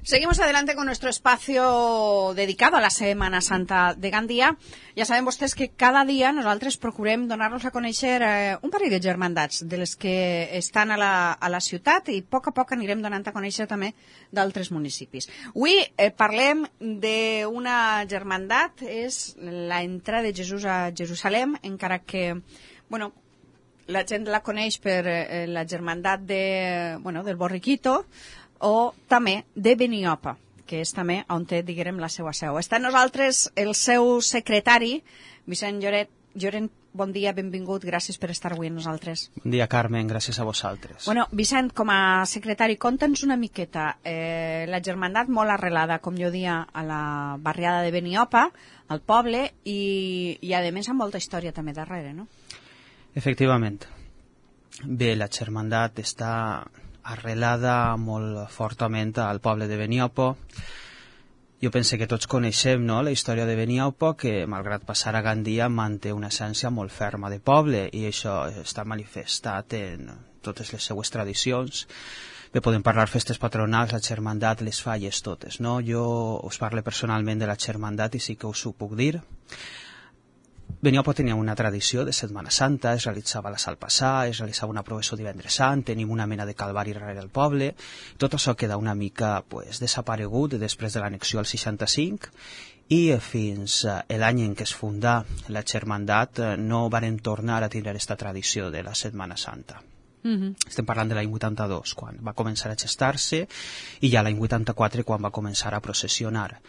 Seguimos adelante con nuestro espacio dedicado a la Setmana Santa de Gandia. Ja saben vostès que cada dia nosaltres procurem donar-nos a conèixer un parell de germandats de les que estan a la ciutat i a poc anirem donant a conèixer també d'altres municipis. Avui parlem d'una germandat, és l'entrada de Jesús a Jerusalem, encara que, bueno, la gent la coneix per la germandat del Borriquito, o també de Beniopa, que és també on té, diguem, la seva seu. Està amb nosaltres el seu secretari, Vicent Llorent. Bon dia, benvingut, gràcies per estar avui amb nosaltres. Bon dia, Carmen, gràcies a vosaltres. Bueno, Vicent, com a secretari, conta'ns una miqueta. La germandat molt arrelada, com jo dia, a la barriada de Beniopa, al poble, i a més amb molta història també darrere, no? Efectivament. Bé, la germandat està arrelada molt fortament al poble de Beniopa. Jo pense que tots coneixem, no?, la història de Beniopa, que malgrat passar a Gandia manté una essència molt ferma de poble, i això està manifestat en totes les seues tradicions. Bé, podem parlar festes patronals, la germandat, les falles totes, no? Jo us parlo personalment de la germandat i sí que us ho puc dir. Beniopa tenia una tradició de Setmana Santa, es realitzava la Sal Passar, es realitzava una processó divendres sant, tenim una mena de calvari darrere el poble. Tot això queda una mica desaparegut després de l'annexió al 65, i fins l'any en què es fundà la germandat no varen tornar a tindre aquesta tradició de la Setmana Santa. Estem parlant de l'any 82, quan va començar a gestar-se, i ja l'any 84, quan va començar a processionar.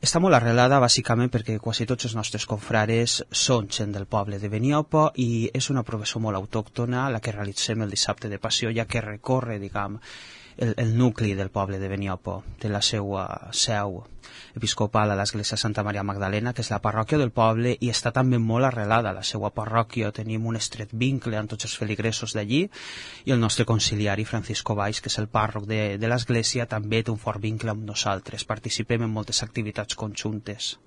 Està molt arrelada bàsicament perquè quasi tots els nostres confrares són gent del poble de Beniopa, i és una processó molt autòctona la que realitzem el dissabte de Passió, ja que recorre, diguem, el nucli del poble de Beniopa, de la seva seu episcopal a l'església Santa Maria Magdalena, que és la parròquia del poble, i està també molt arrelada a la seva parròquia. Tenim un estret vincle amb tots els feligresos d'allí, i el nostre conciliari Francisco Valls, que és el pàrroc de l'església, també té un fort vincle amb nosaltres. Participem en moltes activitats conjuntes.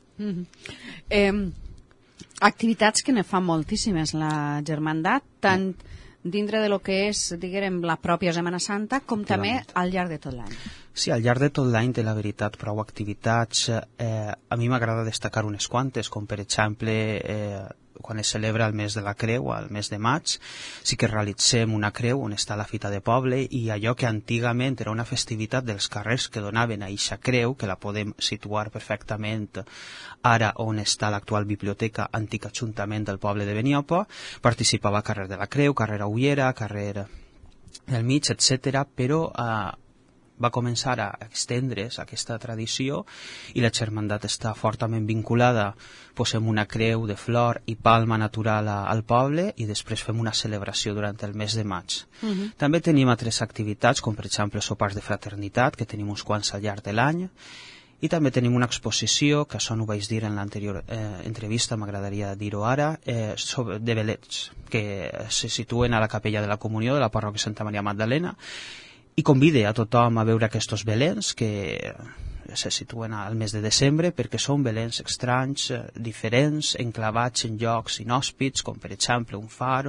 Activitats que ne fa moltíssimes la germandat, tant dintre de lo que és, diguem, la pròpia Setmana Santa, com també al llarg de tot l'any. Sí, al llarg de tot l'any té la veritat prou activitats. A mi m'agrada destacar unes quantes, com per exemple quan es celebra el mes de la Creu, al mes de maig, sí que realitzem una creu on està la fita de poble, i allò que antigament era una festivitat dels carrers que donaven a eixa creu, que la podem situar perfectament ara on està l'actual biblioteca, antic ajuntament del poble de Beniopa, participava a carrer de la Creu, carrer Ullera, carrer del Mig, etc. Però va començar a extendre's aquesta tradició, i la germandat està fortament vinculada. Posem una creu de flor i palma natural al poble, i després fem una celebració durant el mes de maig. També tenim altres activitats, com per exemple sopars de fraternitat, que tenim uns quants al llarg de l'any, i també tenim una exposició, que això no ho vaig dir en l'anterior entrevista, m'agradaria dir-ho ara, de velets, que se situen a la capella de la Comunió de la parròquia Santa Maria Magdalena, i convide a tothom a veure aquests belens que se situen al mes de desembre, perquè són belens estranys, diferents, enclavats en llocs inhòspits, com per exemple un far,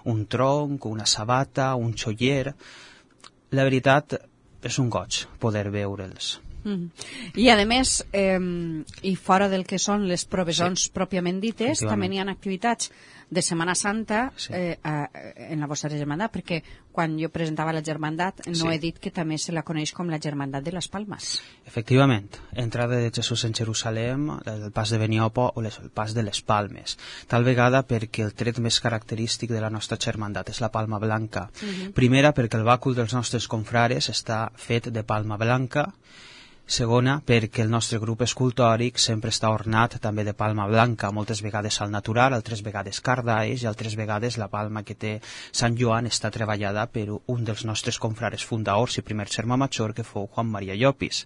un tronc, una sabata, un xoller. La veritat és un goig poder veure'ls. I a més, i fora del que són les provisions pròpiament dites, també hi ha activitats de Setmana Santa en la vostra germandat, perquè quan jo presentava la germandat no he dit que també se la coneix com la germandat de les Palmes. Efectivament, entrada de Jesús en Jerusalem, el pas de Beniopa o el pas de les Palmes, tal vegada perquè el tret més característic de la nostra germandat és la palma blanca. Primera, perquè el bàcul dels nostres confrares està fet de palma blanca. Segona, perquè el nostre grup escultòric sempre està ornat també de palma blanca, moltes vegades al natural, altres vegades cardaix, i altres vegades la palma que té Sant Joan està treballada per un dels nostres confrares fundadors i primer germà major, que fou Juan Maria Llopis.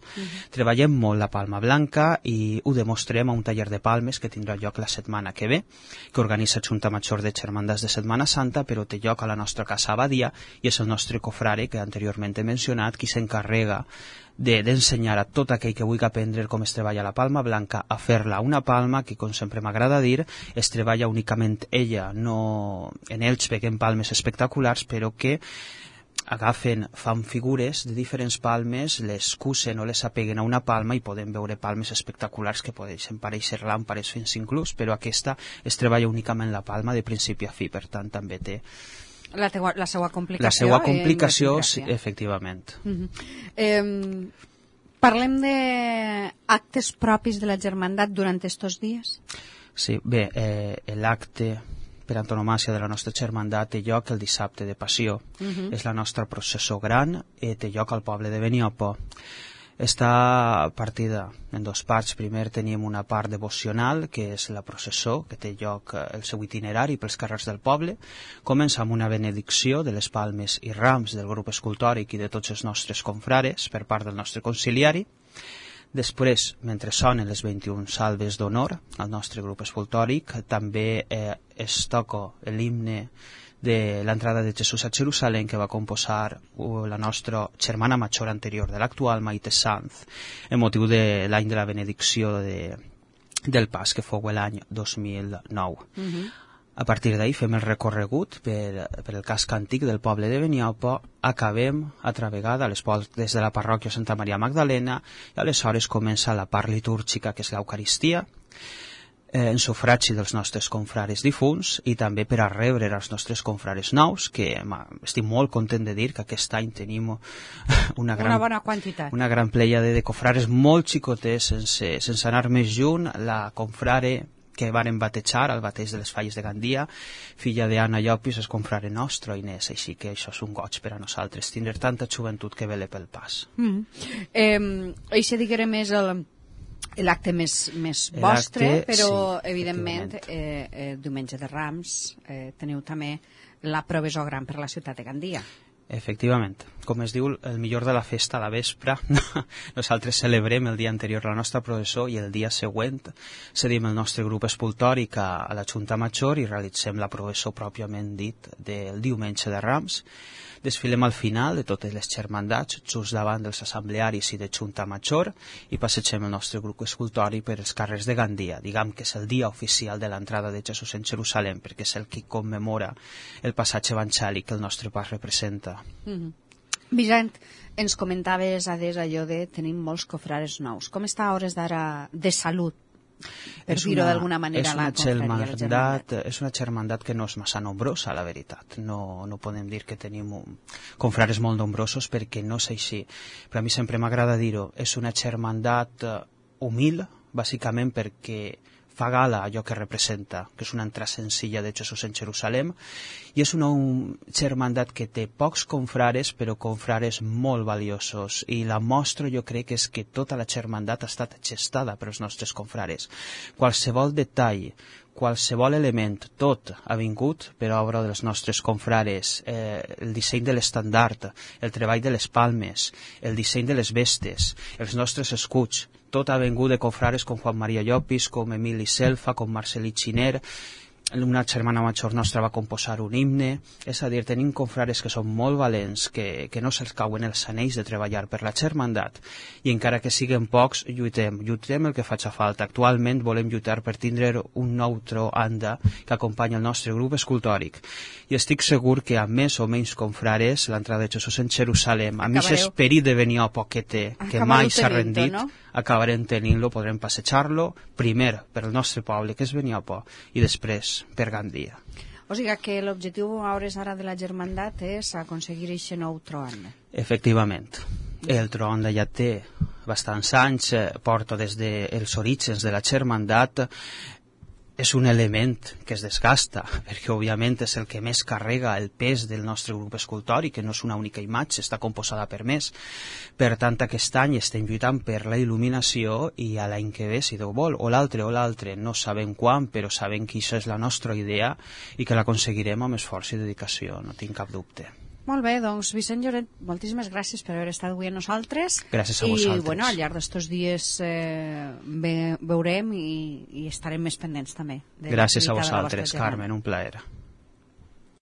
Treballem molt la palma blanca i ho demostrem a un taller de palmes que tindrà lloc la setmana que ve, que organitza Junta Major de Germandats de Setmana Santa, però té lloc a la nostra casa Abadia, i és el nostre confrare, que anteriorment he mencionat, qui s'encarrega d'ensenyar a tot aquell que vulgui aprendre com es treballa la palma blanca a fer-la una palma que, com sempre m'agrada dir, es treballa únicament ella. No, en ells veiem palmes espectaculars, però que fan figures de diferents palmes, les cusen o les apeguen a una palma i podem veure palmes espectaculars que poden parèixer làmpares fins inclús, però aquesta es treballa únicament la palma de principi a fi, per tant també té la seva complicació. La seva complicació, sí, efectivament. Parlem d'actes propis de la Germandat durant estos dies? Sí, bé, l'acte per antonomàcia de la nostra germandat té lloc el dissabte de Passió. És la nostra processó gran i té lloc al poble de Beniopo. Està partida en dos parts. Primer tenim una part devocional, que és la processó, que té lloc el seu itinerari pels carrers del poble. Comença amb una benedicció de les palmes i rams del grup escultòric i de tots els nostres confrares per part del nostre conciliari. Després, mentre sonen les 21 salves d'honor al nostre grup escultòric, també es toca l'himne de l'entrada de Jesús a Jerusalem que va composar la nostra germana major anterior de l'actual, Maite Sanz, en motiu de l'any de la benedicció del pas, que fou l'any 2009. A partir d'ahir fem el recorregut per el casc antic del poble de Beniopo, acabem altra vegada a les portes de la parròquia Santa Maria Magdalena i aleshores comença la part litúrgica, que és l'Eucaristia, en sufragi dels nostres confrares difunts i també per a rebre els nostres confrares nous, que estic molt content de dir que aquest any tenim una bona quantitat. Una gran pleiade de confrares molt xicoters, sense anar més lluny. La confrare que varen batejar al bateig de les Falles de Gandia, filla d'Anna Llopis, és confrare nostre, Inés, així que això és un goig per a nosaltres, tindre tanta joventut que vele pel pas. Això diguem és l'acte més vostre, però evidentment diumenge de Rams teniu també la proveçó gran per a la ciutat de Gandia. Efectivament. Com es diu, el millor de la festa a la vespre, nosaltres celebrem el dia anterior la nostra processó i el dia següent cedim el nostre grup escultòric a la Junta Major i realitzem la processó pròpiament dit del diumenge de Rams. Desfilem al final de totes les germandats, just davant dels assemblearis i de Junta Major, i passegem el nostre grup escultòric per els carrers de Gandia. Diguem que és el dia oficial de l'entrada de Jesús en Jerusalem, perquè és el que commemora el passatge evangèlic que el nostre pas representa. Vicent, ens comentaves adés allò de tenim molts confrares nous. Com està a hores d'ara de salut? Per dir-ho d'alguna manera, la confraria. És una germandat que no és massa nombrosa, la veritat. No podem dir que tenim confrares molt nombrosos perquè no és així. Però a mi sempre m'agrada dir-ho. És una germandat humil, bàsicament perquè fa gala allò que representa, que és una entrada senzilla de Jesús en Jerusalem, i és una germandat que té pocs confrares, però confrares molt valiosos, i la mostra jo crec és que tota la germandat ha estat gestada pels nostres confrares. Qualsevol detall, qualsevol element, tot ha vingut per obra dels nostres confrares. El disseny de l'estandard, el treball de les palmes, el disseny de les vestes, els nostres escuts, tot ha vingut de confrares com Juan Maria Llopis, com Emili Selfa, com Marcelí Xiner. Una germana major nostra va composar un himne. És a dir, tenim confrares que són molt valents, que no se'ls cauen els anells de treballar per la germandat, i encara que siguin pocs, lluitem el que faci falta. Actualment volem lluitar per tindre un nou anda que acompanya el nostre grup escultòric, i estic segur que amb més o menys confrares l'entrada de Jesús en Jerusalem, amb aquest esperit de Beniopo que té, que mai s'ha rendit, acabarem tenint-lo, podrem passejar-lo primer per el nostre poble, que és Beniopo, i després per Gandia. O sigui que l'objectiu a hores d'ara de la germandat és aconseguir aquest nou tron. Efectivament. El tron ja té bastants anys, porta des dels orígens de la germandat. És un element que es desgasta, perquè òbviament és el que més carrega el pes del nostre grup escultòric, que no és una única imatge, està composada per més. Per tant, aquest any estem lluitant per la il·luminació, i a l'any que ve, si Déu vol, o l'altre, no sabem quan, però sabem que això és la nostra idea i que l'aconseguirem amb esforç i dedicació, no tinc cap dubte. Molt bé, doncs Vicent Lloret, moltíssimes gràcies per haver estat avui amb nosaltres. Gràcies a vosaltres. I al llarg d'estos dies veurem i estarem més pendents també. Gràcies a vosaltres, Carmen, un plaer.